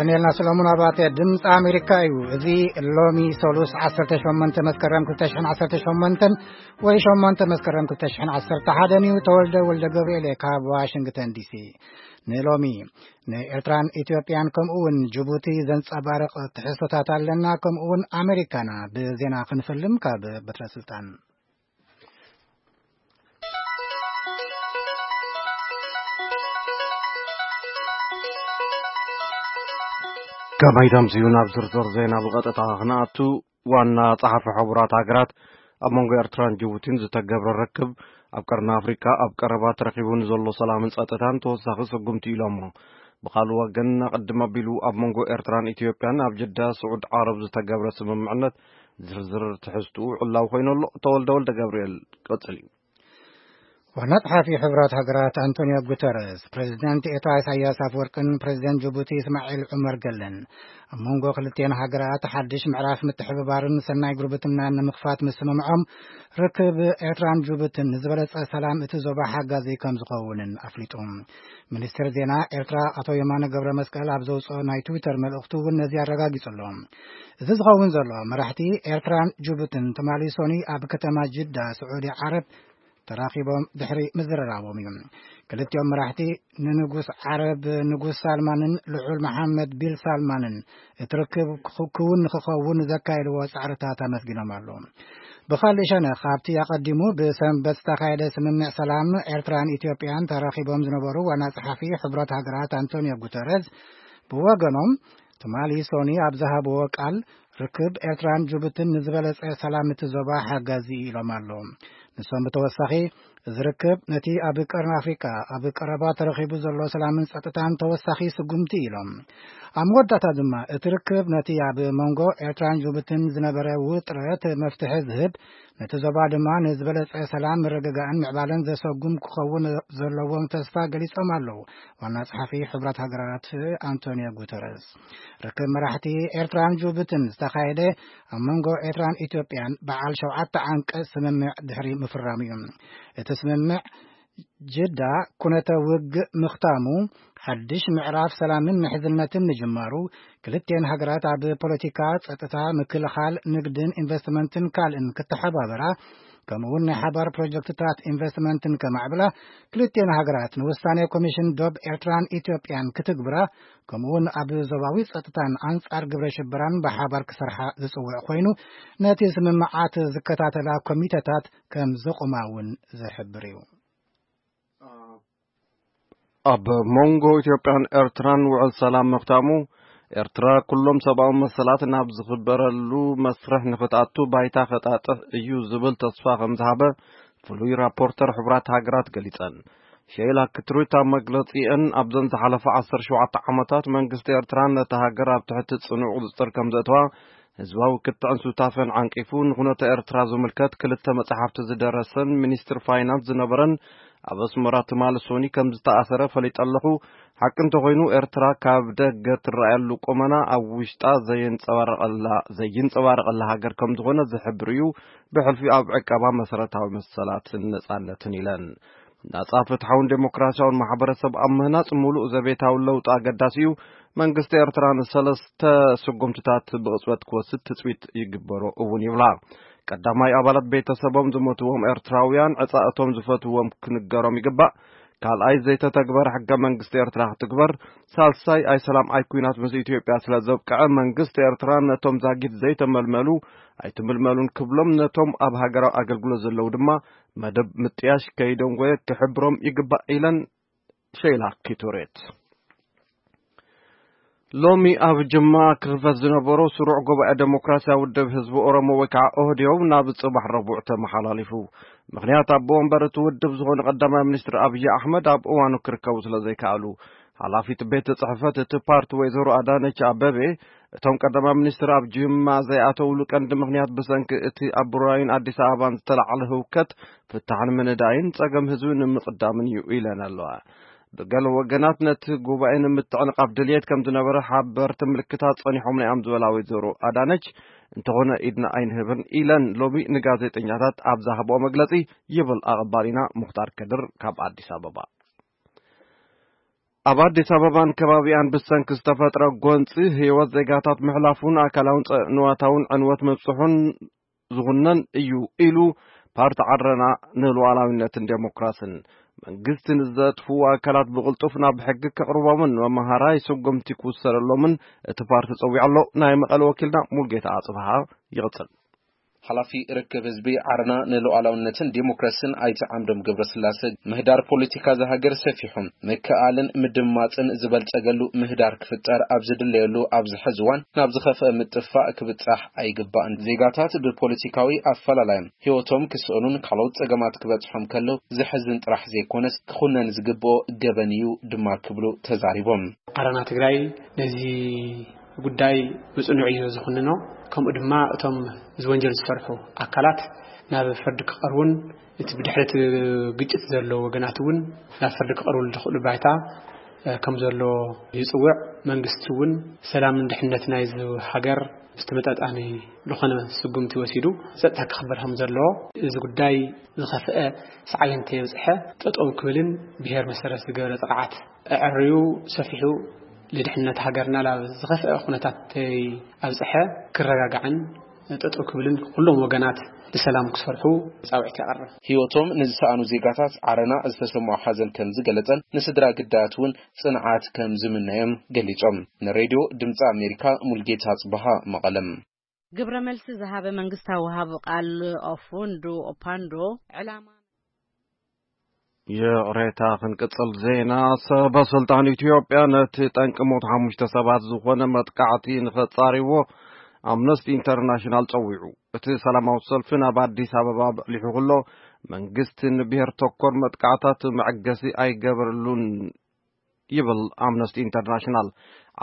ዳንኤልና ሰሎሞን ኣባተ፣ ድምፂ ኣሜሪካ እዩ። እዚ ሎሚ ሰሉስ ዓሰርተ ሸሞንተ መስከረም ክልተ ሽሕን ዓሰርተ ሸሞንተን ወይ ሸሞንተ መስከረም ክልተ ሽሕን ዓሰርተ ሓደን እዩ። ተወልደ ወልደ ገብርኤል እየ ካብ ዋሽንግተን ዲሲ። ንሎሚ ንኤርትራን ኢትዮጵያን ከምኡ እውን ጅቡቲ ዘንጸባርቕ ትሕዝቶታት ኣለና። ከምኡ እውን ኣሜሪካና ብዜና ክንፍልም ካብ በትረ ስልጣን። ከመይ ደምስዩ ናብ ዝርዝር ዜና ብቐጥታ ክንኣቱ፣ ዋና ጸሓፊ ሕቡራት ሃገራት ኣብ መንጎ ኤርትራን ጅቡቲን ዝተገብረ ርክብ ኣብ ቀርኒ ኣፍሪካ ኣብ ቀረባ ተረኺቡ ንዘሎ ሰላምን ጸጥታን ተወሳኺ ስጉምቲ ኢሎሞ። ብኻልእ ወገን፣ ኣቐድም ኣቢሉ ኣብ መንጎ ኤርትራን ኢትዮጵያን ኣብ ጅዳ ስዑድ ዓረብ ዝተገብረ ስምምዕነት ዝርዝር ትሕዝትኡ ዕላዊ ኮይኑ ኣሎ። ተወልደ ወልደ ገብርኤል ቀጽል እዩ። ዋና ጸሓፊ ሕብራት ሃገራት ኣንቶኒዮ ጉተረስ፣ ፕሬዚደንት ኤርትራ ኢሳያስ ኣፈወርቅን ፕሬዚደንት ጅቡቲ እስማዒል ዑመር ገለን ኣብ መንጎ ክልቲኤን ሃገራት ሓድሽ ምዕራፍ ምትሕብባርን ሰናይ ጉርብትናን ንምኽፋት ምስምምዖም፣ ርክብ ኤርትራን ጅቡትን ንዝበለጸ ሰላም እቲ ዞባ ሓጋዚ ከም ዝኸውንን ኣፍሊጡ። ሚኒስትር ዜና ኤርትራ ኣቶ የማነ ገብረ መስቀል ኣብ ዘውፅኦ ናይ ትዊተር መልእኽቱ እውን ነዚ ኣረጋጊጹ ኣሎ። እዚ ዝኸውን ዘሎ፣ መራሕቲ ኤርትራን ጅቡትን ትማሊ ሶኒ ኣብ ከተማ ጅዳ ስዑዲ ዓረብ ተራኺቦም ድሕሪ ምዝርራቦም እዩ። ክልቲኦም መራሕቲ ንንጉስ ዓረብ ንጉስ ሳልማንን ልዑል መሓመድ ቢል ሳልማንን እቲ ርክብ ክው-፣ ክውን ንክኸውን ዘካየድዎ ጻዕርታት ኣመስጊኖም ኣለዉ። ብኻልእ ሸነኽ፣ ኣብቲ ኣቐዲሙ ብሰንበት ዝተኻየደ ስምምዕ ሰላም ኤርትራን ኢትዮጵያን ተራኺቦም ዝነበሩ ዋና ጸሓፊ ሕቡራት ሃገራት ኣንቶኒዮ ጉተረዝ ብወገኖም፣ ትማሊ ሶኒ ኣብ ዝሃብዎ ቃል፣ ርክብ ኤርትራን ጅቡትን ንዝበለጸ ሰላም እቲ ዞባ ሓጋዚ ኢሎም ኣለዉ። ንሶም ብተወሳኺ፣ እዚ ርክብ ነቲ ኣብ ቀርኒ ኣፍሪቃ ኣብ ቀረባ ተረኺቡ ዘሎ ሰላምን ጸጥታን ተወሳኺ ስጉምቲ ኢሎም። ኣብ መወዳእታ ድማ፣ እቲ ርክብ ነቲ ኣብ መንጎ ኤርትራን ጅቡትን ዝነበረ ውጥረት መፍትሒ ዝህብ፣ ነቲ ዞባ ድማ ንዝበለጸ ሰላም፣ ምርግጋእን ምዕባለን ዘሰጉም ክኸውን ዘለዎም ተስፋ ገሊጾም ኣለዉ። ዋና ጸሓፊ ሕቡራት ሃገራት ኣንቶኒዮ ጉተረስ፣ ርክብ መራሕቲ ኤርትራን ጅቡትን ዝተኻየደ ኣብ መንጎ ኤርትራን ኢትዮጵያን በዓል ሸውዓተ ዓንቀጽ ስምምዕ ድሕሪ ምፍራሙ እዩ። እቲ ስምምዕ ጅዳ ኩነተ ውግእ ምኽታሙ፣ ሓድሽ ምዕራፍ ሰላምን ምሕዝነትን ምጅማሩ፣ ክልቲኤን ሃገራት ኣብ ፖለቲካ፣ ጸጥታ፣ ምክልኻል፣ ንግድን ኢንቨስትመንትን ካልእን ክተሓባበራ፣ ከምኡ እውን ናይ ሓባር ፕሮጀክትታት ኢንቨስትመንትን ከማዕብላ፣ ክልቲኤን ሃገራት ንውሳኔ ኮሚሽን ዶብ ኤርትራን ኢትዮጵያን ክትግብራ፣ ከምኡ እውን ኣብ ዞባዊ ጸጥታን ኣንጻር ግብረ ሽበራን ብሓባር ክሰርሓ ዝጽውዕ ኮይኑ፣ ነቲ ስምምዓት ዝከታተላ ኮሚተታት ከም ዘቑማ እውን ዝሕብር እዩ። ኣብ መንጎ ኢትዮጵያን ኤርትራን ውዕል ሰላም ምኽታሙ፣ ኤርትራ ኩሎም ሰብኣዊ መሰላት ናብ ዝኽበረሉ መስርሕ ንኽትኣቱ ባይታ ከጣጥሕ እዩ ዝብል ተስፋ ከም ዝሃበ ፍሉይ ራፖርተር ሕቡራት ሃገራት ገሊጸን። ሼላ ክትሩት ኣብ መግለጺአን፣ ኣብዘን ዝሓለፋ ዓሰርተ ሸውዓተ ዓመታት መንግስቲ ኤርትራ ነታ ሃገር ኣብ ትሕቲ ጽኑዕ ቁጽጽር ከም ዘእተዋ፣ ህዝባዊ ክትዕን ሱታፈን ዓንቂፉ፣ ንኹነተ ኤርትራ ዝምልከት ክልተ መጻሕፍቲ ዝደረሰን ሚኒስትር ፋይናንስ ዝነበረን ኣብ ኣስመራ ትማሊ ሶኒ ከም ዝተኣሰረ ፈሊጠ ኣለኹ። ሓቂ እንተኾይኑ፣ ኤርትራ ካብ ደገ ትረኣየሉ ቁመና ኣብ ውሽጣ ዘየንጸባረቐላ፣ ዘይንጸባረቐላ ሃገር ከም ዝኾነ ዝሕብር እዩ። ብሕልፊ ኣብ ዕቀባ መሰረታዊ መሰላትን ነጻነትን ኢለን። ናጻ፣ ፍትሓውን ዴሞክራሲያውን ማሕበረሰብ ኣብ ምህናጽ ምሉእ ዘቤታዊ ለውጢ ኣገዳሲ እዩ። መንግስቲ ኤርትራ ንሰለስተ ስጉምትታት ብቕጽበት ክወስድ ትጽቢት ይግበሮ እውን ይብላ። ቀዳማይ፣ ኣባላት ቤተሰቦም ዝሞትዎም ኤርትራውያን ዕጻ እቶም ዝፈትዎም ክንገሮም ይግባእ። ካልኣይ፣ ዘይተተግበረ ሕገ መንግስቲ ኤርትራ ክትግበር። ሳልሳይ፣ ኣይ ሰላም ኣይ ኩናት ምስ ኢትዮጵያ ስለ ዘብቅዐ፣ መንግስቲ ኤርትራ ነቶም ዛጊት ዘይተመልመሉ ኣይትምልመሉን ክብሎም፣ ነቶም ኣብ ሃገራዊ ኣገልግሎት ዘለዉ ድማ መደብ ምጥያሽ ከይደንጎየ ክሕብሮም ይግባእ ኢለን ሸይላ ኪቶሬት። ሎሚ ኣብ ጅማ ክኽፈት ዝነበሮ ስሩዕ ጉባኤ ዴሞክራሲያዊ ውድብ ህዝቢ ኦሮሞ ወይ ከዓ ኦህዴው ናብ ጽባሕ ረቡዕ ተመሓላሊፉ። ምኽንያት፣ ኣቦ ወንበር እቲ ውድብ ዝኾኑ ቀዳማይ ሚኒስትር ኣብዪ ኣሕመድ ኣብ እዋኑ ክርከቡ ስለ ዘይከኣሉ፣ ሓላፊት ቤት ጽሕፈት እቲ ፓርቲ ወይዘሮ ኣዳነች ኣበቤ፣ እቶም ቀዳማይ ሚኒስትር ኣብ ጅማ ዘይኣተውሉ ቀንዲ ምኽንያት ብሰንኪ እቲ ኣብ ቡራዩን ኣዲስ ኣበባን ዝተላዕለ ህውከት ፍታሕ ንምንዳይን ጸገም ህዝቢ ንምቕዳምን እዩ ኢለን ኣለዋ። ብገለ ወገናት ነቲ ጉባኤ ንምትዕንቓፍ ድልየት ከም ዝነበረ ሓበርቲ ምልክታት ጸኒሖም እዮም ዝበላ ወይዘሮ ኣዳነች፣ እንተኾነ ኢድና ኣይንህብን ኢለን ሎሚ ንጋዜጠኛታት ኣብ ዝሃብኦ መግለጺ፣ ይብል ኣቐባሊና ሙኽታር ከድር ካብ ኣዲስ ኣበባ። ኣብ ኣዲስ ኣበባን ከባቢኣን ብሰንኪ ዝተፈጥረ ጎንፂ ህይወት ዜጋታት ምሕላፉን ኣካላውን ጸ-፣ ንዋታውን ዕንወት ምብፅሑን ዝኹነን እዩ ኢሉ ፓርቲ ዓረና ንሉዓላዊነትን ዴሞክራስን። መንግስቲ ንዘጥፍኡ ኣካላት ብቕልጡፍ ናብ ሕጊ ከቕርቦምን መምሃራይ ስጉምቲ ክውሰደሎምን እቲ ፓርቲ ጸዊዑ ኣሎ። ናይ መቐለ ወኪልና ሙልጌታ ኣጽብሃ ይቕጽል። ሓላፊ ርክብ ህዝቢ ዓረና ንሉዓላውነትን ዲሞክራስን ኣይተ ዓምዶም ገብረስላሰ፣ ምህዳር ፖለቲካ እዛ ሃገር ሰፊሑ ምክኣልን ምድማፅን ዝበልፀገሉ ምህዳር ክፍጠር ኣብ ዝድለየሉ ኣብዚ ሕዚ እዋን ናብ ዝኸፍአ ምጥፋእ ክብፃሕ ኣይግባእን። ዜጋታት ብፖለቲካዊ ኣፈላላዮም ህይወቶም ክስእኑን ካልኦት ፀገማት ክበፅሖም ከለው ዘሕዝን ጥራሕ ዘይኮነስ ክኹነን ዝግብኦ ገበን እዩ ድማ ክብሉ ተዛሪቦም። ዓረና ትግራይ ነዚ ጉዳይ ብጽኑዕ እዩ ዝኹንኖ። ከምኡ ድማ እቶም እዚ ወንጀል ዝሰርሑ ኣካላት ናብ ፍርዲ ክቐርቡን እቲ ብድሕሪ እቲ ግጭት ዘሎ ወገናት እውን ናብ ፍርዲ ክቐርቡ ዝኽእሉ ባይታ፣ እ፣ ከም ዘሎ ይጽውዕ። መንግስቲ እውን ሰላምን ድሕነት ናይዚ ሃገር ዝተመጣጣኒ ዝኾነ ስጉምቲ ወሲዱ ጸጥታ ክኽበር ከም ዘለዎ፣ እዚ ጉዳይ ዝኸፍአ ሰዓቤን እንተየብጽሐ ጠጠው ክብልን ብሄር መሰረት ዝገበረ ጥቕዓት ኣዐርዩ ሰፊሑ ንድሕነት ሃገርና ናብ ዝኸፍአ ኩነታት ተይኣብጽሐ ክረጋጋዕን ጠጠው ክብልን ኩሎም ወገናት ብሰላም ክሰርሑ ጻውዒት የቕርብ። ህይወቶም ንዝሰኣኑ ዜጋታት ዓረና ዝተሰምዖ ሓዘን ከም ዝገለጸን ንስድራ ግዳያት እውን ጽንዓት ከም ዝምነዮም ገሊጾም። ንሬድዮ ድምፂ ኣሜሪካ ሙልጌታ ጽበሃ መቐለም። ግብረ መልሲ ዝሃበ መንግስታዊ ወሃቢ ቃል ኦፉንዱ ኦፓንዶ ዕላማ ይቕሬታ፣ ክንቅጽል ዜና። ሰበ ስልጣን ኢትዮጵያ ነቲ ጠንቂ ሞት ሓሙሽተ ሰባት ዝኾነ መጥቃዕቲ ንኸጻርዎ ኣምነስቲ ኢንተርናሽናል ጸዊዑ። እቲ ሰላማዊ ሰልፊ ናብ ኣዲስ ኣበባ በሊሑ ከሎ መንግስቲ ንብሔር ተኮር መጥቃዕታት መዐገሲ ኣይገበረሉን ይብል ኣምነስቲ ኢንተርናሽናል።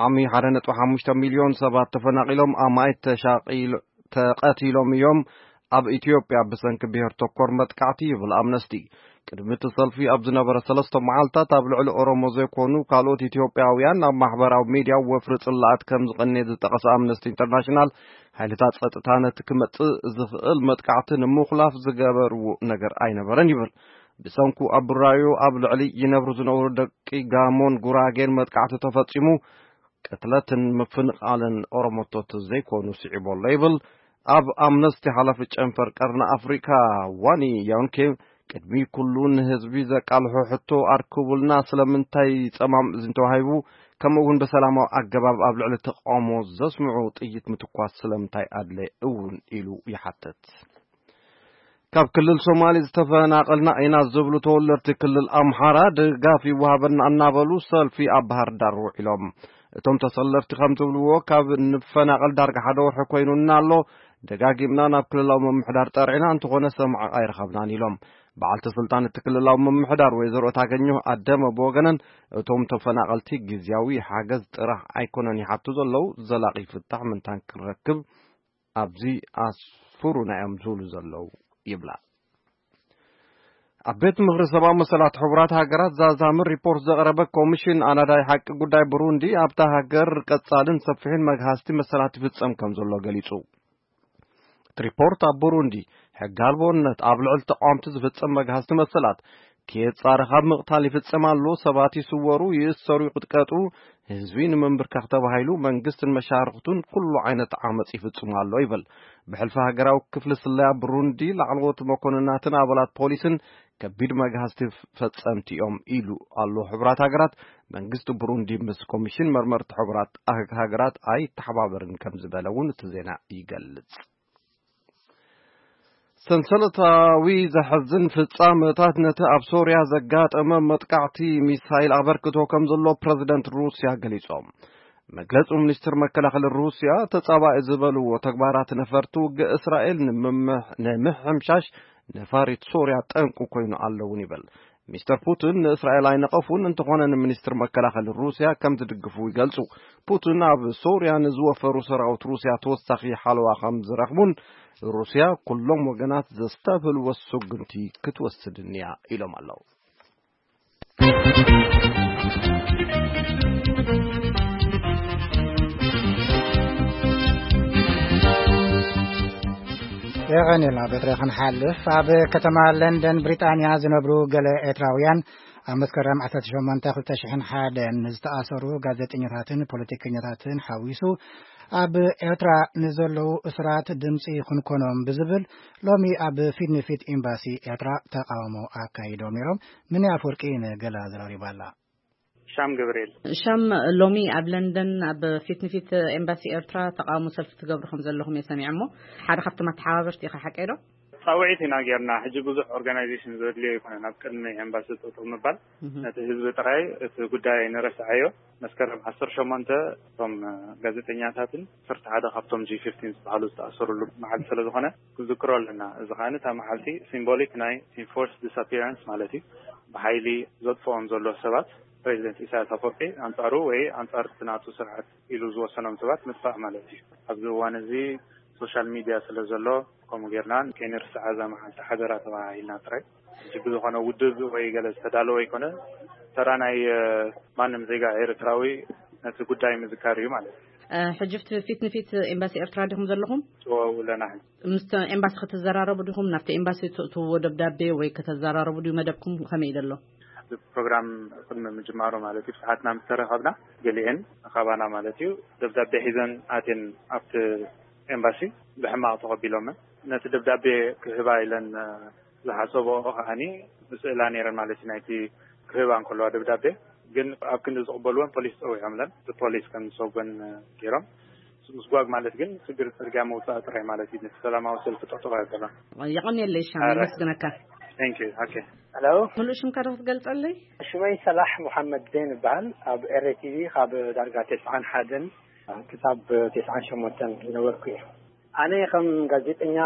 ዓሚ ሓደ ነጥቢ ሓሙሽተ ሚልዮን ሰባት ተፈናቒሎም፣ ኣማኢት ተሻቒሎ-፣ ተቐቲሎም እዮም ኣብ ኢትዮጵያ ብሰንኪ ብሔር ተኮር መጥቃዕቲ ይብል ኣምነስቲ። ቅድሚ እቲ ሰልፊ ኣብ ዝነበረ ሰለስተ መዓልታት ኣብ ልዕሊ ኦሮሞ ዘይኮኑ ካልኦት ኢትዮጵያውያን ኣብ ማሕበራዊ ሚድያ ወፍሪ ጽላኣት ከም ዝቐነየ ዝጠቐሰ ኣምነስቲ ኢንተርናሽናል፣ ሓይልታት ጸጥታ ነቲ ክመጽእ ዝኽእል መጥቃዕቲ ንምኹላፍ ዝገበርዎ ነገር ኣይነበረን ይብል። ብሰንኩ ኣብ ቡራዩ ኣብ ልዕሊ ይነብሩ ዝነበሩ ደቂ ጋሞን ጉራጌን መጥቃዕቲ ተፈጺሙ፣ ቅትለትን ምፍንቓልን ኦሮሞቶት ዘይኮኑ ስዒቡ ኣሎ ይብል። ኣብ ኣምነስቲ ሓላፊ ጨንፈር ቀርኒ ኣፍሪካ ዋኒ ያንኬ፣ ቅድሚ ኩሉ ንህዝቢ ዘቃልሖ ሕቶ ኣርክቡልና፣ ስለምንታይ ጸማም እዝኒ ተዋሂቡ፣ ከምኡ እውን ብሰላማዊ ኣገባብ ኣብ ልዕሊ ተቃውሞ ዘስምዑ ጥይት ምትኳስ ስለምንታይ ኣድለ እውን ኢሉ ይሓትት። ካብ ክልል ሶማሌ ዝተፈናቐልና ኢና ዝብሉ ተወለድቲ ክልል ኣምሓራ ድጋፍ ይወሃበና እናበሉ ሰልፊ ኣብ ባህር ዳር ውዒሎም። እቶም ተሰለፍቲ ከም ዝብልዎ፣ ካብ ንፈናቐል ዳርጋ ሓደ ወርሒ ኮይኑና ኣሎ። ደጋጊምና ናብ ክልላዊ ምምሕዳር ጠርዒና፣ እንተኾነ ሰማዒ ኣይረኸብናን ኢሎም። በዓልቲ ስልጣን እቲ ክልላዊ ምምሕዳር ወይዘሮ እታገኘሁ ኣደመ ብወገነን፣ እቶም ተፈናቐልቲ ግዝያዊ ሓገዝ ጥራሕ ኣይኮነን ይሓቱ ዘለዉ፣ ዘላቒ ፍታሕ ምንታን ክንረክብ ኣብዚ ኣስፍሩና እዮም ዝብሉ ዘለዉ ይብላ። ኣብ ቤት ምኽሪ ሰብኣዊ መሰላት ሕቡራት ሃገራት ዛዛሚ ሪፖርት ዘቕረበ ኮሚሽን ኣናዳይ ሓቂ ጉዳይ ብሩንዲ፣ ኣብታ ሃገር ቀጻልን ሰፊሕን መግሃስቲ መሰላት ይፍጸም ከም ዘሎ ገሊጹ። እቲ ሪፖርት ኣብ ብሩንዲ ሕጊ ኣልቦነት፣ ኣብ ልዕሊ ተቃወምቲ ዝፍጸም መግሃስቲ መሰላት፣ ከየጻረ ካብ ምቕታል ይፍጸም ኣሎ፣ ሰባት ይስወሩ፣ ይእሰሩ፣ ይቕጥቀጡ፣ ህዝቢ ንምንብርካኽ ተባሂሉ መንግስትን መሻርኽቱን ኩሉ ዓይነት ዓመጽ ይፍጽሙ ኣሎ ይብል። ብሕልፊ ሃገራዊ ክፍሊ ስለያ ብሩንዲ ላዕለዎት መኮንናትን ኣባላት ፖሊስን ከቢድ መግሃስቲ ፈጸምቲ እዮም ኢሉ ኣሎ። ሕቡራት ሃገራት፣ መንግስቲ ብሩንዲ ምስ ኮሚሽን መርመርቲ ሕቡራት ሃገራት ኣይተሓባበርን ከም ዝበለ እውን እቲ ዜና ይገልጽ። ሰንሰለታዊ ዘሕዝን ፍጻመታት ነቲ ኣብ ሶርያ ዘጋጠመ መጥቃዕቲ ሚሳይል ኣበርክቶ ከም ዘሎ ፕረዚደንት ሩስያ ገሊጾም። መግለጺ ሚኒስትር መከላኸሊ ሩስያ፣ ተጻባኢ ዝበልዎ ተግባራት ነፈርቲ ውግእ እስራኤል ንምምሕ-፣ ንምሕምሻሽ ነፋሪት ሶርያ ጠንቁ ኮይኑ ኣሎ እውን ይብል። ሚስተር ፑቲን ንእስራኤል ኣይነቐፉን፣ እንተኾነ ንሚኒስትር መከላኸሊ ሩስያ ከም ዝድግፉ ይገልጹ። ፑቲን ኣብ ሶርያ ንዝወፈሩ ሰራዊት ሩስያ ተወሳኺ ሓለዋ ከም ዝረኽቡን ሩስያ ኩሎም ወገናት ዘስተብህልዎ ስጉምቲ ክትወስድን እያ ኢሎም ኣለዉ። የቐንየልና በትረ ክንሓልፍ፣ ኣብ ከተማ ለንደን ብሪጣንያ ዝነብሩ ገለ ኤርትራውያን ኣብ መስከረም ዓሰርተ ሸሞንተ ክልተ ሽሕን ሓደን ንዝተኣሰሩ ጋዜጠኛታትን ፖለቲከኛታትን ሓዊሱ ኣብ ኤርትራ ንዘለዉ እስራት ድምፂ ክንኮኖም ብዝብል ሎሚ ኣብ ፊት ንፊት ኤምባሲ ኤርትራ ተቃውሞ ኣካይዶም ነይሮም። ምን ኣፈወርቂ ንገላ ዘራሪባ ኣላ። ሻም ገብርኤል። ሻም፣ ሎሚ ኣብ ለንደን ኣብ ፊት ንፊት ኤምባሲ ኤርትራ ተቃውሞ ሰልፊ ትገብሩ ከም ዘለኹም እየ ሰሚዐ። እሞ ሓደ ካብቶም ኣተሓባበርቲ ኢኻ፣ ሓቀይ ዶ? ጻውዒት ኢና ጌርና። ሕጂ ብዙሕ ኦርጋናይዜሽን ዘድልዮ ኣይኮነን። ኣብ ቅድሚ ኤምባሲ ጠጠው ምባል፣ እህ። ነቲ ህዝቢ ጥራይ እቲ ጉዳይ ንረስዓዮ። መስከረም ዓሰርተ ሸሞንተ እቶም ጋዜጠኛታትን ዓሰርተ ሓደ ካብቶም ጂ ፊፍቲን ዝበሃሉ ዝተኣሰሩሉ መዓልቲ ስለ ዝኾነ ክዝክሮ ኣለና። እዚ ከኣ እታ መዓልቲ ሲምቦሊክ ናይ ኢንፎርስ ዲስኣፒራንስ ማለት እዩ። ብሓይሊ ዘጥፍኦም ዘሎ ሰባት ፕሬዚደንት ኢሳያስ ኣፈወርቂ ኣንጻሩ ወይ ኣንጻር እቲ ናቱ ስርዓት ኢሉ ዝወሰኖም ሰባት ምጥፋእ ማለት እዩ። ኣብዚ እዋን እዚ ሶሻል ሚድያ ስለ ዘሎ ከምኡ ጌርና ከይንርስዓ እዛ መዓልቲ ሓደራ ተባሂልና ጥራይ። ሕጂ ብዝኾነ ውድብ ወይ ገለ ዝተዳለወ ኣይኮነ። ተራ ናይ፣ እ፣ ማንም ዜጋ ኤርትራዊ ነቲ ጉዳይ ምዝካር እዩ ማለት እዩ። እ፣ ሕጂ ኣብቲ ፊት ንፊት ኤምባሲ ኤርትራ ዲኹም ዘለኹም? እዎ፣ ኣለና። ምስ ኤምባሲ ክትዘራረቡ ዲኹም? ናብቲ ኤምባሲ ትእትውዎ ደብዳቤ ወይ ከተዘራረቡ ድዩ መደብኩም? ከመይ እዩ ዘሎ? እዚ ፕሮግራም ቅድሚ ምጅማሩ ማለት እዩ፣ ሰዓትና ምስ ተረኸብና ገሊኤን ካባና ማለት እዩ ደብዳቤ ሒዘን ኣትየን ኣብቲ ኤምባሲ ብሕማቕ ተቐቢሎመን። ነቲ ደብዳቤ ክህባ ኢለን፣ እ፣ ዝሓሰብኦ ከዓኒ ብስእላ ነይረን ማለት እዩ። ናይቲ ክህባ እንከለዋ ደብዳቤ ግን ኣብ ክንዲ ዝቕበልወን ፖሊስ ጸዊዖምለን፣ እቲ ፖሊስ ከም ዝሰጎን፣ እ፣ ገይሮም። ምስጓግ ማለት ግን ስግር ጽርግያ ምውጻእ ጥራይ ማለት እዩ። ነቲ ሰላማዊ ሰልፊ ጠጠው ኣይበሎን። የቐንየለይ ሻም፣ ኣረ። የመስግነካ። Thank you። ኦኬ። ሄሎ። ምሉእ ሽምካ ዶ ክትገልጸለይ? ሽመይ ሰላሕ መሓመድ ዜን ይበሃል። ኣብ ኤር ቲ ቪ ካብ ዳርጋ ተስዓን ሓደን ክሳብ ተስዓን ሸሞንተን ዝነበርኩ እየ። ኣነ ከም ጋዜጠኛ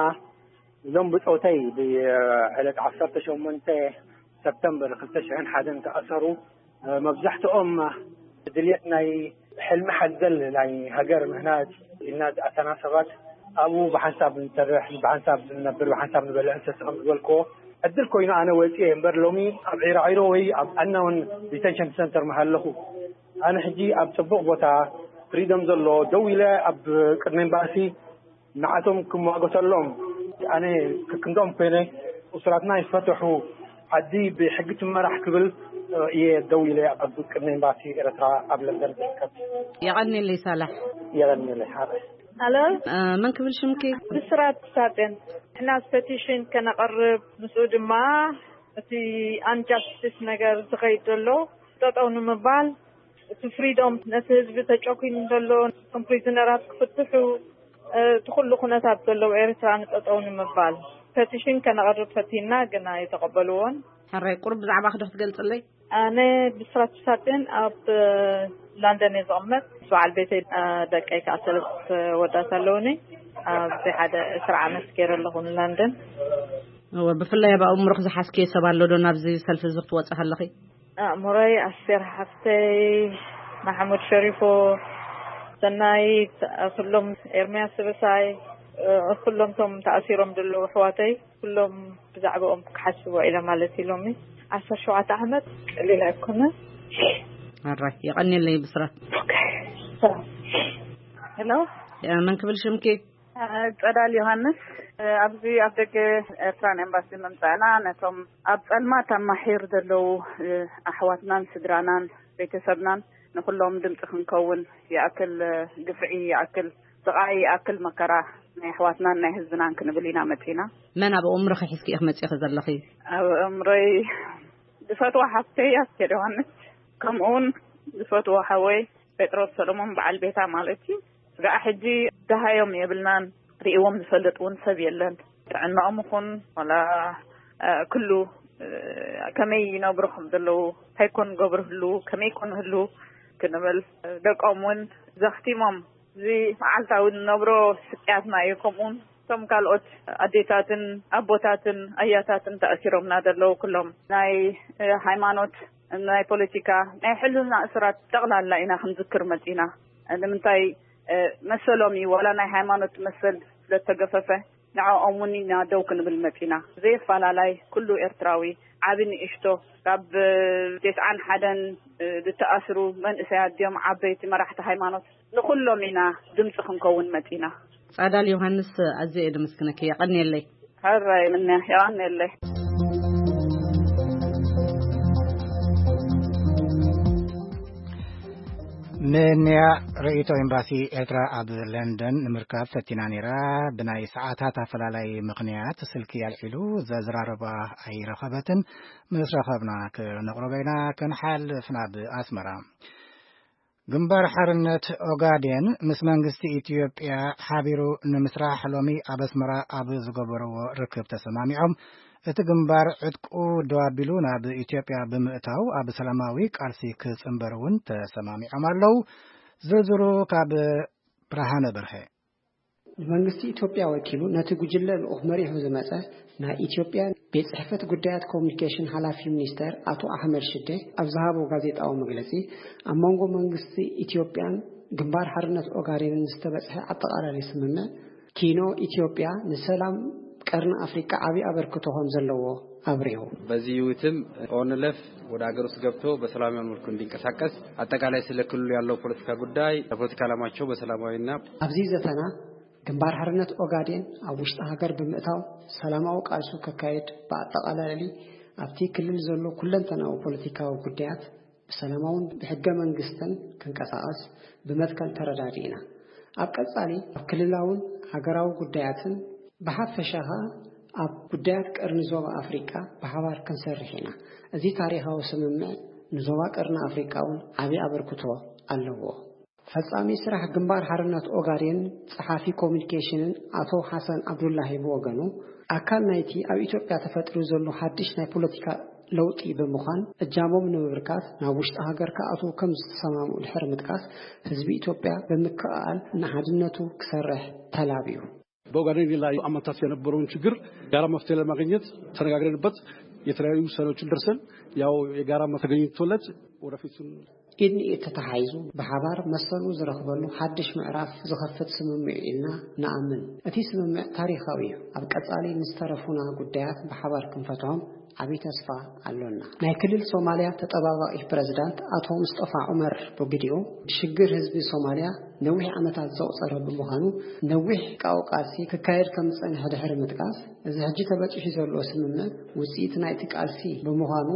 እዞም ብጾተይ ብዕለት ዓሰርተ ሸሞንተ ሰፕተምበር ክልተ ሽሕን ሓደን ተኣሰሩ። መብዛሕትኦም ድልየት ናይ ሕልሚ ሓዘል ናይ ሃገር ምህናጽ ኢልና ዝኣተና ሰባት ኣብኡ ብሓንሳብ ንሰርሕ፣ ብሓንሳብ ንነብር፣ ብሓንሳብ ንበልዕ ንሰቲ ከም ዝበልክዎ ዕድል ኮይኑ ኣነ ወጺኤ እምበር ሎሚ ኣብ ዒራዒሮ ወይ ኣብ ኣናውን ዲቴንሽን ሰንተር ምሃለኹ። ኣነ ሕጂ ኣብ ጽቡቕ ቦታ ፍሪደም ዘሎ ደው ኢለ ኣብ ቅድሚ ኤምባሲ ንዓቶም ክሟገተሎም ኣነ ክክንዶም ኮይነ እሱራትና ይፈትሑ፣ ዓዲ ብሕጊ ትመራሕ ክብል እየ ደው ኢለ ኣብ ቅድሚ ኤምባሲ ኤርትራ ኣብ ለንደን ዝርከብ። የቐንየለይ ሳላሕ። የቐንየለይ ሓበይ። ሄሎ። እ፣ መን ክብል ሽምኪ? ብስራት ሳጤን። ንሕና ፐቲሽን ከነቕርብ፣ ምስኡ ድማ እቲ ኣንጃስቲስ ነገር ዝኸይድ ዘሎ ጠጠው ንምባል፣ እቲ ፍሪዶም ነቲ ህዝቢ ተጨኩኑ ዘሎ፣ እቶም ፕሪዝነራት ክፍትሑ፣ እ፣ እቲ ኩሉ ኩነታት ዘለዎ ኤርትራ ንጠጠው ንምባል ፐቲሽን ከነቕርብ ፈቲና፣ ግን ኣይተቐበልዎን። ሕራይ፣ ቁሩብ ብዛዕባኺ ዶ ክትገልጽለይ? ኣነ ብስራት ሳጥን ኣብ፣ እ፣ ላንደን እየ ዝቕመጥ። በዓል ቤተይ፣ እ፣ ደቀይ ከኣ ሰለስተ ወዳት ኣለውኒ። ኣብዚ ሓደ ዕስራ ዓመት ገይረ ኣለኹ ንላንደን። እወ፣ ብፍላይ ኣብ ኣእምሮኺ ዝሓዝክዮ ሰብ ኣሎ ዶ ናብዚ ሰልፊ እዚ ክትወጺ ከለኺ? ኣእምሮይ ኣስቴር ሓፍተይ፣ ማሕሙድ ሸሪፎ፣ ሰናይት፣ ኩሎም ኤርምያስ ስብሳይ፣ እ፣ ኩሎም ቶም ተኣሲሮም ዘለዉ ኣሕዋተይ፣ ኩሎም ብዛዕባኦም ክሓስብ ውዒለ ማለት እዩ። ሎሚ ዓሰርተ ሸውዓተ ዓመት ቀሊል ኣይኮነ። ኣራይ፣ የቐንየለይ ብስራት። ኦኬ። ሰላም። ሄሎ። እ፣ መን ክብል ሽምኪ? ጸዳል ዮሃንስ፣ ኣብዚ ኣብ ደገ ኤርትራን ኤምባሲ ምምጻእና ነቶም ኣብ ጸልማት ኣብ ማሒር ዘለዉ ኣሕዋትናን ስድራናን ቤተሰብናን ንኹሎም ድምጺ ክንከውን ይኣክል፣ ግፍዒ ይኣክል፣ ስቓይ ይኣክል፣ መከራ ናይ ኣሕዋትናን ናይ ህዝብናን ክንብል ኢና መጺና። መን ኣብ ኣእምሮኺ ሒዝኪ ኢኺ መጺኺ ዘለኺ? ኣብ ኣእምሮይ ዝፈትዋ ሓፍተይ ኣስቴር ዮሃንስ፣ ከምኡውን ዝፈትዎ ሓወይ ጴጥሮስ ሰሎሞን በዓል ቤታ ማለት እዩ። ስጋዕ ሕጂ ደሃዮም የብልናን፣ ርእዎም ዝፈልጥ እውን ሰብ የለን። ጥዕናኦም ይኹን ዋላ፣ እ፣ ኩሉ፣ እ፣ ከመይ ይነብሩ ከም ዘለዉ፣ እንታይ ኮን ገብሩ ህሉ፣ ከመይ ኮን ህሉ ክንብል፣ ደቆም እውን ዘኽቲሞም፣ እዚ መዓልታዊ ንነብሮ ስቅያትና እዩ። ከምኡውን እቶም ካልኦት ኣዴታትን ኣቦታትን ኣያታትን ተኣሲሮምና ዘለዉ ኩሎም ናይ፣ እ፣ ሃይማኖት፣ ናይ ፖለቲካ፣ ናይ ሕልና እሱራት ጠቕላላ ኢና ክንዝክር መጺና። ንምንታይ፣ እ፣ መሰሎም እዩ፣ ዋላ ናይ ሃይማኖት መሰል ስለተገፈፈ ንዕኦም እውን ኢና ደው ክንብል መጺና። ዘየፈላላይ ኩሉ ኤርትራዊ፣ ዓቢ ንእሽቶ፣ ካብ፣ እ፣ ተስዓን ሓደን፣ እ፣ ዝተኣስሩ መንእሰያት ድዮም ዓበይቲ መራሕቲ ሃይማኖት፣ ንኹሎም ኢና ድምጺ ክንከውን መጺና። ጻዳል ዮሃንስ፣ ኣዝየ እየ ደመስግነኪ። የቐንየለይ። ሕራይ ምንያ፣ የቐንየለይ። ንንያ ርእይቶ ኤምባሲ ኤርትራ ኣብ ለንደን ንምርካብ ፈቲና ነይራ። ብናይ ሰዓታት ኣፈላላይ ምኽንያት ስልኪ ኣልዒሉ ዘዝራረባ ኣይረኸበትን። ምስ ረኸብና ክነቕርቦ ኢና። ክንሓልፍ ናብ ኣስመራ። ግንባር ሓርነት ኦጋዴን ምስ መንግስቲ ኢትዮጵያ ሓቢሩ ንምስራሕ ሎሚ ኣብ ኣስመራ ኣብ ዝገበርዎ ርክብ ተሰማሚዖም። እቲ ግንባር ዕጥቁ ደው ኣቢሉ ናብ ኢትዮጵያ ብምእታው ኣብ ሰላማዊ ቃልሲ ክጽንበር እውን ተሰማሚዖም ኣለዉ። ዝርዝሩ ካብ ብርሃነ በርሀ። ንመንግስቲ ኢትዮጵያ ወኪሉ ነቲ ጉጅለ ልኡኽ መሪሑ ዝመጸ ናይ ኢትዮጵያ ቤት ጽሕፈት ጉዳያት ኮሙኒኬሽን ሓላፊ ሚኒስተር ኣቶ ኣሕመድ ሽዴ ኣብ ዝሃቦ ጋዜጣዊ መግለጺ፣ ኣብ መንጎ መንግስቲ ኢትዮጵያን ግንባር ሓርነት ኦጋዴንን ዝተበጽሐ ኣጠቓላሊ ስምምዕ ኪኖ ኢትዮጵያ ንሰላም ቀርኒ ኣፍሪቃ ዓቢ ኣበርክቶ ከም ዘለዎ ኣብሪሁ። በዚህ ውይይትም ኦንለፍ ወደ ሀገር ውስጥ ገብቶ በሰላማዊ መልኩ እንዲንቀሳቀስ፣ አጠቃላይ ስለ ክልሉ ያለው ፖለቲካ ጉዳይ፣ ለፖለቲካ ዓላማቸው በሰላማዊና ኣብዚ ዘተና ግንባር ሓርነት ኦጋዴን ኣብ ውሽጢ ሃገር ብምእታው ሰላማዊ ቃልሱ ከካየድ፣ ብኣጠቓላሊ ኣብቲ ክልል ዘሎ ኩለንተናዊ ፖለቲካዊ ጉዳያት ብሰላማውን ብሕገ መንግስትን ክንቀሳቐስ ብመትከል ተረዳዲእና። ኣብ ቀጻሊ ኣብ ክልላውን ሃገራዊ ጉዳያትን ብሓፈሻ ኸኣ ኣብ ጉዳያት ቀርኒ ዞባ ኣፍሪቃ ብሓባር ክንሰርሕ ኢና። እዚ ታሪኻዊ ስምምዕ ንዞባ ቀርኒ ኣፍሪቃ እውን ዓቢ ኣበርክቶ ኣለዎ። ፈጻሚ ስራሕ ግንባር ሓርነት ኦጋዴን ጸሓፊ ኮሙኒኬሽንን ኣቶ ሓሰን ዓብዱላሂ ብወገኑ፣ ኣካል ናይቲ ኣብ ኢትዮጵያ ተፈጢሩ ዘሎ ሓድሽ ናይ ፖለቲካ ለውጢ ብምዃን፣ እጃሞም ንምብርካት ናብ ውሽጢ ሃገር ክኣትዉ ከም ዝተሰማምኡ ድሕሪ ምጥቃስ፣ ህዝቢ ኢትዮጵያ ብምክእኣል ንሓድነቱ ክሰርሕ ተላብዩ። በኦጋዴን ላይ አመታት የነበረውን ችግር ጋራ መፍትሄ ለማግኘት ተነጋግረንበት የተለያዩ ውሳኔዎችን ደርሰን፣ ያው የጋራ ተገኝቶለት ወደፊቱን ኢድ ንኢድ ተተሓሒዙ ብሓባር መሰሉ ዝረኽበሉ ሓድሽ ምዕራፍ ዝኸፍት ስምምዕ እዩ ኢልና ንኣምን። እቲ ስምምዕ ታሪኻዊ እዩ። ኣብ ቀጻሊ ንዝተረፉና ጉዳያት ብሓባር ክንፈትሖም ዓቢ ተስፋ ኣሎና። ናይ ክልል ሶማልያ ተጠባባቒ ፕረዚዳንት ኣቶ ሙስጠፋ ዑመር ብግዲኡ፣ ሽግር ህዝቢ ሶማልያ ነዊሕ ዓመታት ዘቑጸረ ብምዃኑ፣ ነዊሕ ቃው ቃልሲ ክካየድ ከም ዝጸንሐ ድሕሪ ምጥቃስ፣ እዚ ሕጂ ተበጺሑ ዘሎ ስምምዕ ውጽኢት ናይቲ ቃልሲ ብምዃኑ፣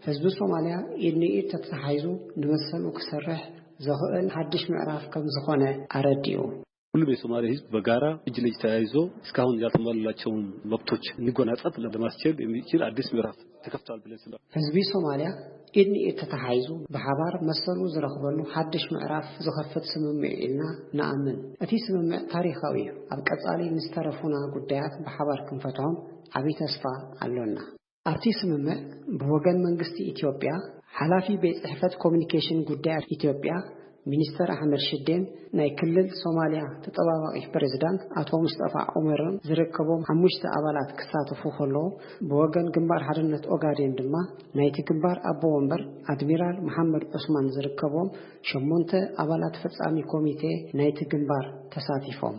ህዝቢ ሶማልያ ኢድ ንኢድ ተተሓሒዙ ንመሰሉ ክሰርሕ ዘኽእል ሓድሽ ምዕራፍ ከም ዝኾነ ኣረዲኡ። ሁሉም የሶማሌ ህዝብ በጋራ እጅ ለእጅ ተያይዞ እስካሁን ያልተሟሉላቸውን መብቶች እንዲጎናጸፍ ለማስቻል የሚችል አዲስ ምዕራፍ ተከፍቷል ብለን ስለ ህዝቢ ሶማልያ ኢድ ንኢድ ተተሓሒዙ ብሓባር መሰሉ ዝረኽበሉ ሓድሽ ምዕራፍ ዝኸፍት ስምምዕ እዩ ኢልና ንኣምን። እቲ ስምምዕ ታሪኻዊ እዩ። ኣብ ቀጻሊ ንዝተረፉና ጉዳያት ብሓባር ክንፈትሖም ዓቢ ተስፋ ኣሎና። ኣብቲ ስምምዕ ብወገን መንግስቲ ኢትዮጵያ፣ ሓላፊ ቤት ጽሕፈት ኮሙኒኬሽን ጉዳያት ኢትዮጵያ ሚኒስተር ኣሕመድ ሽዴን ናይ ክልል ሶማልያ ተጠባባቒ ፕሬዝዳንት ኣቶ ሙስጠፋ ዑመርን ዝርከቦም ሓሙሽተ ኣባላት ክሳተፉ ከለዉ፣ ብወገን ግንባር ሓርነት ኦጋዴን ድማ ናይቲ ግንባር ኣቦ ወንበር ኣድሚራል መሓመድ ዑስማን ዝርከቦም ሸሞንተ ኣባላት ፈጻሚ ኮሚቴ ናይቲ ግንባር ተሳቲፎም።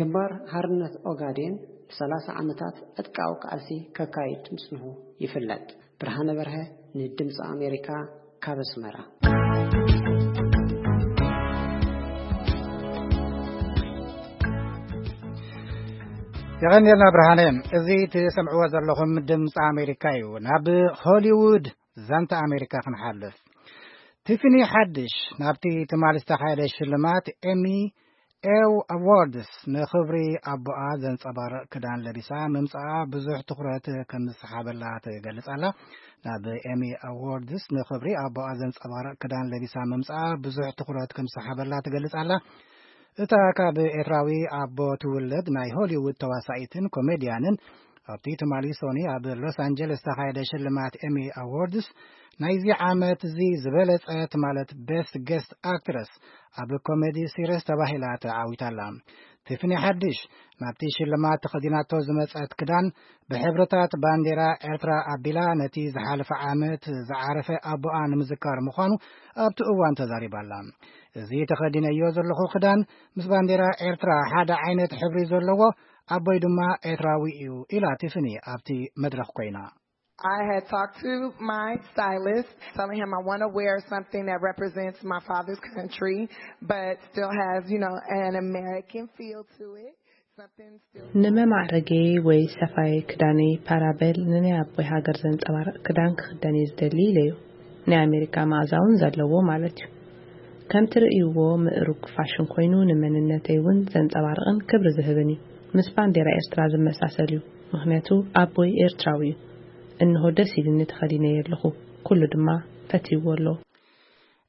ግንባር ሓርነት ኦጋዴን ንሰላሳ ዓመታት ዕጥቃዊ ቃልሲ ከካይድ ምጽንሑ ይፍለጥ። ብርሃነ በርሀ ንድምፂ ኣሜሪካ ካብ ኣስመራ። የቐንየልና ብርሃነ። እዚ ትሰምዕዎ ዘለኹም ድምፂ ኣሜሪካ እዩ። ናብ ሆሊውድ ዛንታ ኣሜሪካ ክንሓልፍ። ቲፍኒ ሓድሽ ናብቲ ትማሊ ዝተኻየደ ሽልማት ኤሚ ኤው ኣዋርድስ ንኽብሪ ኣቦኣ ዘንጸባርቕ ክዳን ለቢሳ ምምጻኣ ብዙሕ ትኹረት ከም ዝሰሓበላ ትገልጽ ኣላ። ናብ ኤሚ ኣዋርድስ ንኽብሪ ኣቦኣ ዘንጸባርቕ ክዳን ለቢሳ ምምጻኣ ብዙሕ ትኹረት ከም ዝሰሓበላ ትገልጽ ኣላ። እታ ካብ ኤርትራዊ ኣቦ ትውለድ ናይ ሆሊውድ ተዋሳኢትን ኮሜድያንን ኣብቲ ትማሊ ሶኒ ኣብ ሎስ ኣንጀለስ ዝተኻየደ ሽልማት ኤሚ ኣዋርድስ ናይዚ ዓመት እዚ ዝበለጸት ማለት ቤስት ጌስት ኣክትረስ ኣብ ኮሜዲ ሲሪስ ተባሂላ ተዓዊታ ኣላ። ቲፍኒ ሓድሽ ናብቲ ሽልማት ተኸዲናቶ ዝመጸት ክዳን ብሕብርታት ባንዴራ ኤርትራ ኣቢላ ነቲ ዝሓለፈ ዓመት ዝዓረፈ ኣቦኣ ንምዝካር ምዃኑ ኣብቲ እዋን ተዛሪባ ኣላ። እዚ ተኸዲነዮ ዘለኹ ክዳን ምስ ባንዴራ ኤርትራ ሓደ ዓይነት ሕብሪ ዘለዎ፣ ኣቦይ ድማ ኤርትራዊ እዩ ኢላ ቲፍኒ ኣብቲ መድረኽ ኮይና። I had talked to my stylist, telling him I want to wear something that represents my father's country, but still has, you know, an American feel to it. Something still. ንመማዕረገይ ወይ ሰፋይ ክዳነይ ፓራበል ንናይ ኣቦይ ሃገር ዘንጸባርቕ ክዳን ክኽደን እየ ዝደሊ ኢለዮ። ናይ ኣሜሪካ መኣዛ እውን ዘለዎ ማለት እዩ። ከም ትርእይዎ ምእሩግ ፋሽን ኮይኑ ንመንነተይ እውን ዘንጸባርቕን ክብሪ ዝህብን እዩ። ምስ ባንዴራ ኤርትራ ዝመሳሰል እዩ። ምኽንያቱ ኣቦይ ኤርትራዊ እዩ። እንሆ ደስ ኢሉኒ ተኸዲነዮ ኣለኹ። ኩሉ ድማ ፈትይዎ ኣሎ።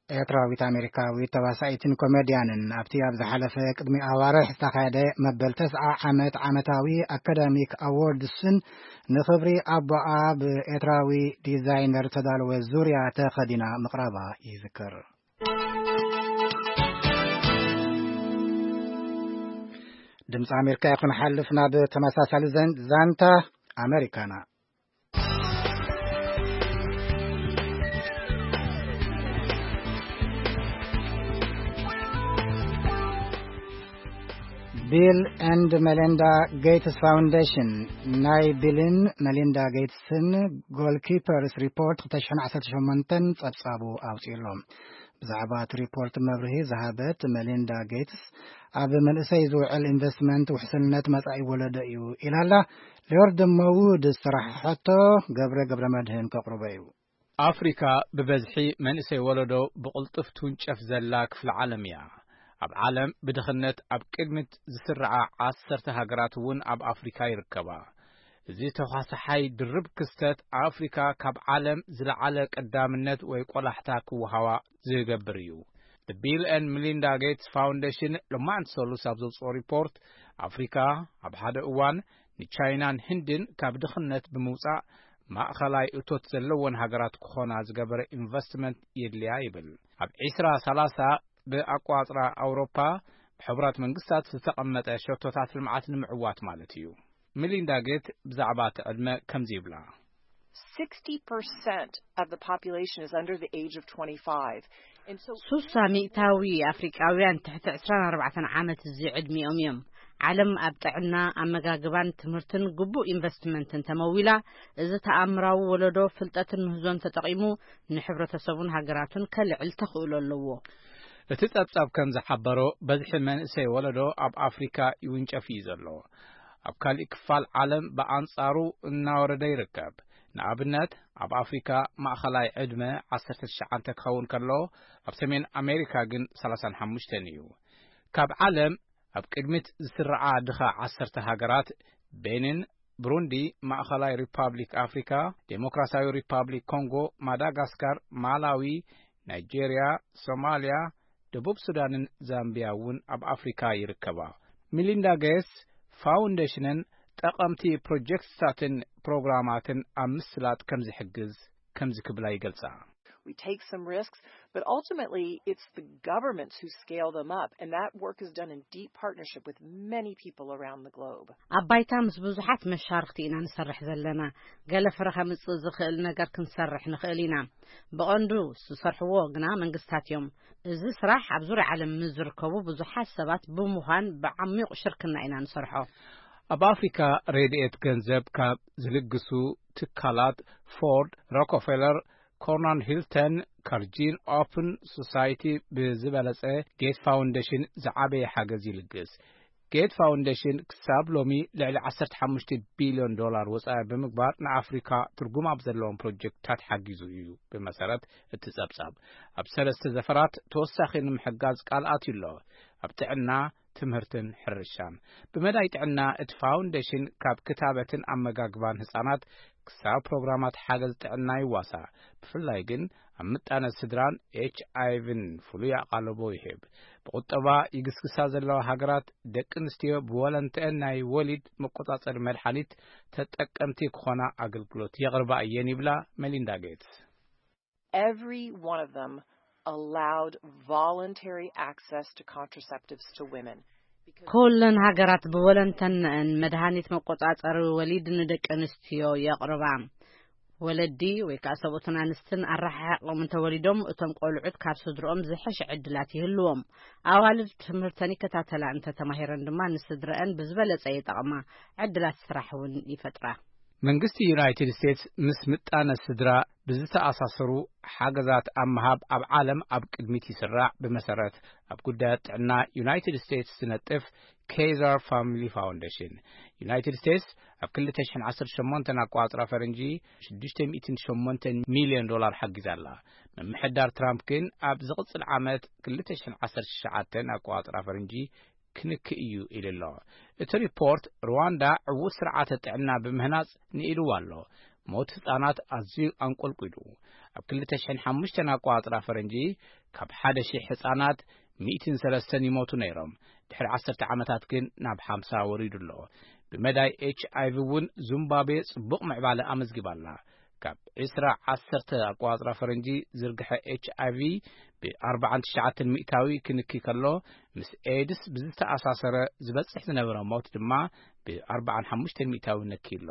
ኤርትራዊት ኣሜሪካዊት ተዋሳኢትን ኮሜድያንን ኣብቲ ኣብ ዝሓለፈ ቅድሚ ኣዋርሕ ዝተኻየደ መበል ተስዓ ዓመት ዓመታዊ ኣካዳሚክ ኣዎርድስን ንኽብሪ ኣቦኣ ብኤርትራዊ ዲዛይነር ተዳለወ ዙርያ ተኸዲና ምቕራባ ይዝከር። ድምፂ ኣሜሪካ ይኹን ሓልፍ ናብ ተመሳሳሊ ዘን-፣ ዛንታ ኣሜሪካና። ቢል ኤንድ መሊንዳ ጌትስ ፋውንዴሽን ናይ ቢልን መሊንዳ ጌትስን ጎልኪፐርስ ሪፖርት ክልተ ሽሕን ዓሰርተ ሸሞንተን ጸብጻቡ ኣውጺኡ ኣሎ። ብዛዕባ እቲ ሪፖርት መብርሂ ዝሃበት መሊንዳ ጌትስ፣ ኣብ መንእሰይ ዝውዕል ኢንቨስትመንት ውሕስነት መጻኢ ወለዶ እዩ ኢላላ። ሊዮርድ መውድ ዝሰራሕሐቶ ገብረ ገብረ መድህን ከቕርቦ እዩ። ኣፍሪካ ብበዝሒ መንእሰይ ወለዶ ብቕልጡፍ ትውንጨፍ ዘላ ክፍሊ ዓለም እያ። ኣብ ዓለም ብድኽነት ኣብ ቅድሚት ዝስርዓ ዓሰርተ ሃገራት እውን ኣብ ኣፍሪካ ይርከባ። እዚ ተኳሳሓይ ድርብ ክስተት ኣፍሪካ ካብ ዓለም ዝለዓለ ቀዳምነት ወይ ቆላሕታ ክወሃባ ዝገብር እዩ። The Bill and Melinda Gates Foundation ሎማዕንቲ ሰሉስ ኣብ ዘውፅኦ ሪፖርት፣ ኣፍሪካ ኣብ ሓደ እዋን ንቻይናን ህንድን ካብ ድኽነት ብምውፃእ ማእኸላይ እቶት ዘለወን ሃገራት ክኾና ዝገበረ ኢንቨስትመንት የድልያ ይብል። ኣብ ዒስራ ሰላሳ ብኣቋፅራ ኣውሮፓ ብሕቡራት መንግስታት ዝተቐመጠ ሸቶታት ልምዓት ንምዕዋት ማለት እዩ። ሚሊንዳ ጌት ብዛዕባ እቲ ዕድመ ከምዚ ይብላ። Sixty percent of the population is under the age of twenty-five. And so ሱሳ ሚእታዊ ኣፍሪቃውያን ትሕቲ ዕስራን ኣርባዕተን ዓመት እዚ ዕድሚኦም እዮም። ዓለም ኣብ ጥዕና፣ ኣመጋግባን ትምህርትን ግቡእ ኢንቨስትመንትን ተመዊላ፣ እዚ ተኣምራዊ ወለዶ ፍልጠትን ምህዞን ተጠቒሙ ንሕብረተሰቡን ሃገራቱን ከልዕል ተኽእሎ ኣለዎ። እቲ ጸብጻብ ከም ዝሓበሮ፣ በዝሒ መንእሰይ ወለዶ ኣብ ኣፍሪካ ይውንጨፍ እዩ ዘሎ። ኣብ ካሊእ ክፋል ዓለም ብኣንጻሩ እናወረደ ይርከብ። ንኣብነት፣ ኣብ ኣፍሪካ ማእኸላይ ዕድመ ዓሰርተ ትሽዓተ ክኸውን ከሎ፣ ኣብ ሰሜን ኣሜሪካ ግን ሰላሳን ሓሙሽተን እዩ። ካብ ዓለም ኣብ ቅድሚት ዝስርዓ ድኻ ዓሰርተ ሃገራት፣ ቤኒን፣ ብሩንዲ፣ ማእኸላይ ሪፓብሊክ ኣፍሪካ፣ ዴሞክራሲያዊ ሪፓብሊክ ኮንጎ፣ ማዳጋስካር፣ ማላዊ፣ ናይጄርያ፣ ሶማልያ፣ ደቡብ ሱዳንን ዛምቢያ እውን ኣብ ኣፍሪካ ይርከባ። ሚሊንዳ ጌትስ ፋውንዴሽንን ጠቐምቲ ፕሮጀክትታትን ፕሮግራማትን ኣብ ምስላጥ ከም ዝሕግዝ ከምዚ ክብላ ይገልጻ። We take some risks, but ultimately it's the governments who scale them up, and that work is done in deep partnership with many people around the globe. ኣብ ባይታ ምስ ብዙሓት መሻርኽቲ ኢና ንሰርሕ ዘለና። ገለ ፍረ ከምጽእ ዝኽእል ነገር ክንሰርሕ ንኽእል ኢና። ብቐንዱ ዝሰርሕዎ ግና መንግስታት እዮም። እዚ ስራሕ ኣብ ዙርያ ዓለም ምስ ዝርከቡ ብዙሓት ሰባት ብምዃን ብዓሚቕ ሽርክና ኢና ንሰርሖ። ኣብ ኣፍሪካ ረድኤት ገንዘብ ካብ ዝልግሱ ትካላት ፎርድ፣ ሮኮፌለር፣ ኮርናን ሂልተን፣ ካርጂን ኦፕን ሶሳይቲ ብዝበለጸ፣ ጌት ፋውንዴሽን ዝዓበየ ሓገዝ ይልግስ። ጌት ፋውንዴሽን ክሳብ ሎሚ ልዕሊ ዓሰርተ ሓሙሽተ ቢልዮን ዶላር ወጻኢ ብምግባር ንኣፍሪካ ትርጉም ኣብ ዘለዎም ፕሮጀክትታት ሓጊዙ እዩ። ብመሰረት እቲ ጸብጻብ፣ ኣብ ሰለስተ ዘፈራት ተወሳኺ ንምሕጋዝ ቃል ኣትዩ ኣሎ። ኣብ ጥዕና፣ ትምህርትን ሕርሻን። ብመዳይ ጥዕና፣ እቲ ፋውንዴሽን ካብ ክታበትን ኣመጋግባን ህጻናት ክሳብ ፕሮግራማት ሓገዝ ጥዕና ይዋሳእ። ብፍላይ ግን ኣብ ምጣነ ስድራን ኤች ኣይ ቪን ፍሉይ ኣቓልቦ ይህብ። ብቁጠባ ይግስግሳ ዘለዋ ሃገራት፣ ደቂ ኣንስትዮ ብወለንተአን ናይ ወሊድ መቆጻጸሪ መድሓኒት ተጠቀምቲ ክኾና ኣገልግሎት የቕርባ እየን ይብላ መሊንዳ ጌትስ። Every one of them allowed voluntary access to contraceptives to women. ኩለን ሃገራት ብወለንተነአን መድሃኒት መቆጻጸሪ ወሊድ ንደቂ ኣንስትዮ የቕርባ። ወለዲ ወይ ከኣ ሰብኡትን ኣንስትን ኣረሓሒቖም እንተወሊዶም፣ እቶም ቆልዑት ካብ ስድርኦም ዝሐሸ ዕድላት ይህልዎም። ኣዋልድ ትምህርተን ይከታተላ እንተተማሂረን ድማ ንስድረአን ብዝበለጸ ይጠቕማ፣ ዕድላት ስራሕ እውን ይፈጥራ። መንግስቲ ዩናይትድ ስቴትስ ምስ ምጣነ ስድራ ብዝተኣሳሰሩ ሓገዛት ኣብ ምሃብ ኣብ ዓለም ኣብ ቅድሚት ይስራዕ። ብመሰረት ኣብ ጉዳያት ጥዕና ዩናይትድ ስቴትስ ዝነጥፍ ኬዘር ፋሚሊ ፋውንዴሽን፣ ዩናይትድ ስቴትስ ኣብ ክልተ ሽሕን ዓሰርተ ሸሞንተን ኣቋጽራ ፈረንጂ ሽዱሽተ ሚእትን ሸሞንተን ሚልዮን ዶላር ሓጊዛ ኣላ። ምምሕዳር ትራምፕ ግን ኣብ ዝቕጽል ዓመት ክልተ ሽሕን ዓሰርተ ትሽዓተን ኣቋጽራ ፈረንጂ ክንክእ እዩ ኢሉ ኣሎ። እቲ ሪፖርት፣ ሩዋንዳ ዕዉት ስርዓተ ጥዕና ብምህናጽ ንኢልዋ ኣሎ። ሞት ህጻናት ኣዝዩ ኣንቆልቂሉ። ኣብ ክልተ ሽሕን ሓሙሽተን ኣቋጽራ ፈረንጂ፣ ካብ ሓደ ሺሕ ህጻናት ሚእትን ሰለስተን ይሞቱ ነይሮም። ድሕሪ ዓሰርተ ዓመታት ግን ናብ ሓምሳ ወሪዱ ኣሎ። ብመዳይ ኤች ኣይ ቪ እውን ዙምባብዌ ጽቡቕ ምዕባለ ኣመዝጊባ ኣላ። ካብ ዕስራ ዓሰርተ ኣቋጽራ ፈረንጂ ዝርግሐ ኤች ኣይ ቪ ብ ኣርባዓን ትሽዓተን ሚእታዊ ክንኪ ከሎ፣ ምስ ኤድስ ብዝተኣሳሰረ ዝበጽሕ ዝነበረ ሞት ድማ ብ ኣርባዓን ሓሙሽተን ሚእታዊ ነኪ ኣሎ።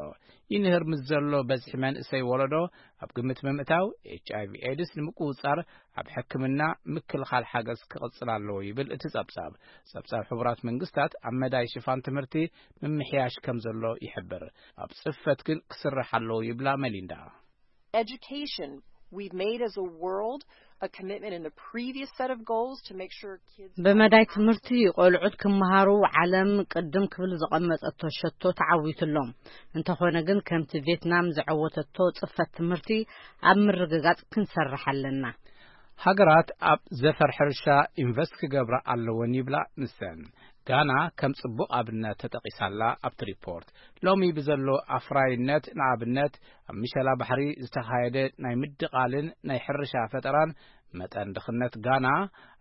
ይንህር ምስ ዘሎ በዝሒ መንእሰይ ወለዶ ኣብ ግምት ብምእታው፣ ኤች ኣይ ቪ ኤድስ ንምቁጽጻር ኣብ ሕክምና ምክልኻል ሓገዝ ክቕጽል ኣለዎ ይብል እቲ ጸብጻብ። ጸብጻብ ሕቡራት መንግስታት ኣብ መዳይ ሽፋን ትምህርቲ ምምሕያሽ ከም ዘሎ ይሕብር። ኣብ ጽፈት ግን ክስራሕ ኣለዎ ይብላ መሊንዳ። Education, we've made as a world a commitment in the previous set of goals to make sure kids ብመዳይ ትምህርቲ ቆልዑት ክመሃሩ ዓለም ቅድም ክብል ዘቐመጠቶ ሸቶ ተዓዊቱ ኣሎ። እንተኾነ ግን ከምቲ ቬትናም ዘዐወተቶ ጽፈት ትምህርቲ ኣብ ምርግጋጽ ክንሰርሕ ኣለና። ሃገራት ኣብ ዘፈር ሕርሻ ኢንቨስት ክገብራ ኣለወን ይብላ ንሰን። ጋና ከም ጽቡቕ ኣብነት ተጠቒሳላ ኣብቲ ሪፖርት። ሎሚ ብዘሎ ኣፍራይነት፣ ንኣብነት ኣብ ምሸላ ባሕሪ ዝተኻየደ ናይ ምድቓልን ናይ ሕርሻ ፈጠራን፣ መጠን ድኽነት ጋና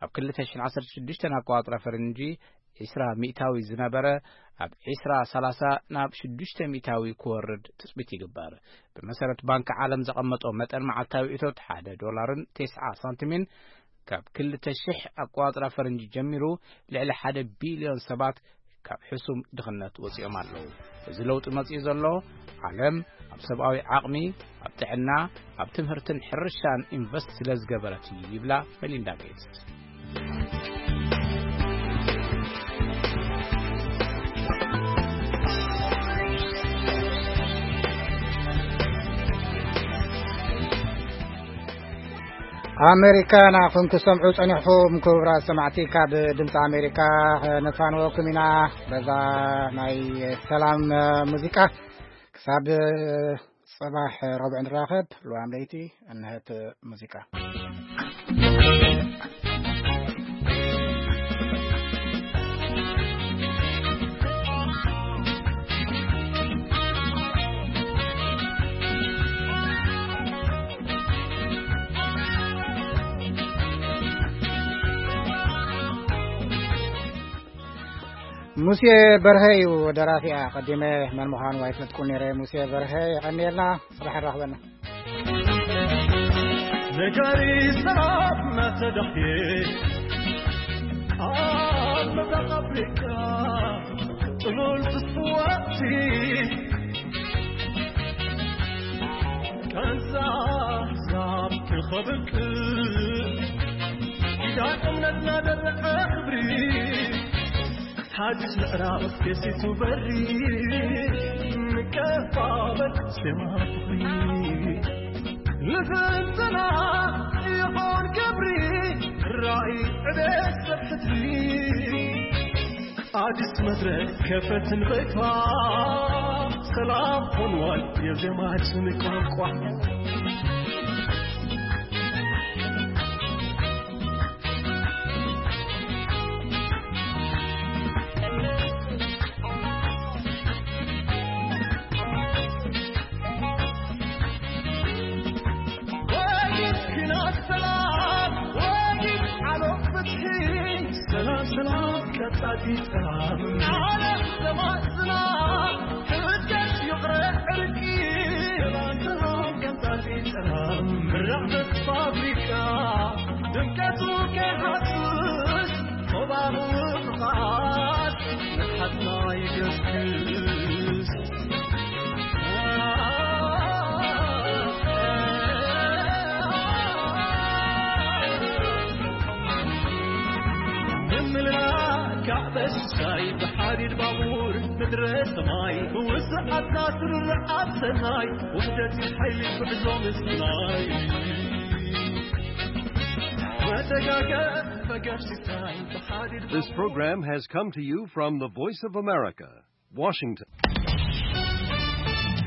ኣብ ክልተ ሽሕን ዓሰርተ ሽዱሽተን ኣቋጽራ ፈረንጂ ዕስራ ሚእታዊ ዝነበረ፣ ኣብ ዕስራ ሰላሳ ናብ ሽዱሽተ ሚእታዊ ክወርድ ትጽቢት ይግበር። ብመሰረት ባንኪ ዓለም ዘቐመጦ መጠን መዓልታዊ እቶት ሓደ ዶላርን ተስዓ ሳንቲምን፣ ካብ ክልተ ሽሕ ኣቋጽራ ፈረንጂ ጀሚሩ ልዕሊ ሓደ ቢልዮን ሰባት ካብ ሕሱም ድኽነት ወጺኦም ኣለዉ። እዚ ለውጢ መጺኡ ዘሎ፣ ዓለም ኣብ ሰብኣዊ ዓቕሚ፣ ኣብ ጥዕና፣ ኣብ ትምህርትን ሕርሻን ኢንቨስት ስለ ዝገበረት እዩ ይብላ መሊንዳ ጌትስ። ኣሜሪካ ንዓኹም ክሰምዑ ጸኒሕኹም፣ ክቡራት ሰማዕቲ። ካብ ድምፂ ኣሜሪካ ነፋንወኩም ኢና በዛ ናይ ሰላም ሙዚቃ። ክሳብ ጽባሕ ረቡዕ ንራኸብ። ልዋም ለይቲ፣ እንሀት ሙዚቃ። ሙሴ በርሀ እዩ ደራፊኣ። ቀዲመ መን ምዃኑ ኣይፈልጥኩን ነይረ። ሙሴ በርሀ የቐንየልና። ጽባሕ ንራኽበና። ነጋሪ ሰላም እናተዳህየ ኣብ ምብራቕ ኣፍሪቃ ጥሉል ትስዋእቲ ቃንዛ ኣሕዛብ ትኸብቅ ኪዳን እምነትና ደረቐ ክብሪ ሓድሽ ምዕራፍ ደሴቱ በሪ ንቀባበል ዜማ ፍቕሪ ልፍንትና ይኾን ክብሪ ራእይ ዕቤት ሰብ ሕድሪ ኣዲስ መድረክ ከፈትን በይቷ ሰላም ሆንዋል የዜማችን ቋንቋ። ወጊድ ኲናት ሰላም፣ ወጊድ ዓለም ፍትሒ፣ ሰላም፣ ሰላም፣ ቀጻሊ ሰላም፣ ዓለም ተማጽና፣ ሕድገት ይቕረ ዕርቂ፣ ሰላም፣ ሰላም፣ ቀጻሊ ሰላም፣ ምራቕ ፋብሪካ፣ ድምቀቱ ከይሃስስ፣ ቶባቡ ፍቓድ፣ ንሓትና ይገስግስ። ምምልላእ ካዕበ ሽሻይ ብሓዲድ ባቡር ምድረ ሰማይ ውስዓት ናስር ኣብ ሰናይ ውሕደት ሓይሊ ጉዕዞ ምስናይ መተጋገ ፈገር ሲታይ ብሓዲድ This program has come to you from the Voice of America, Washington.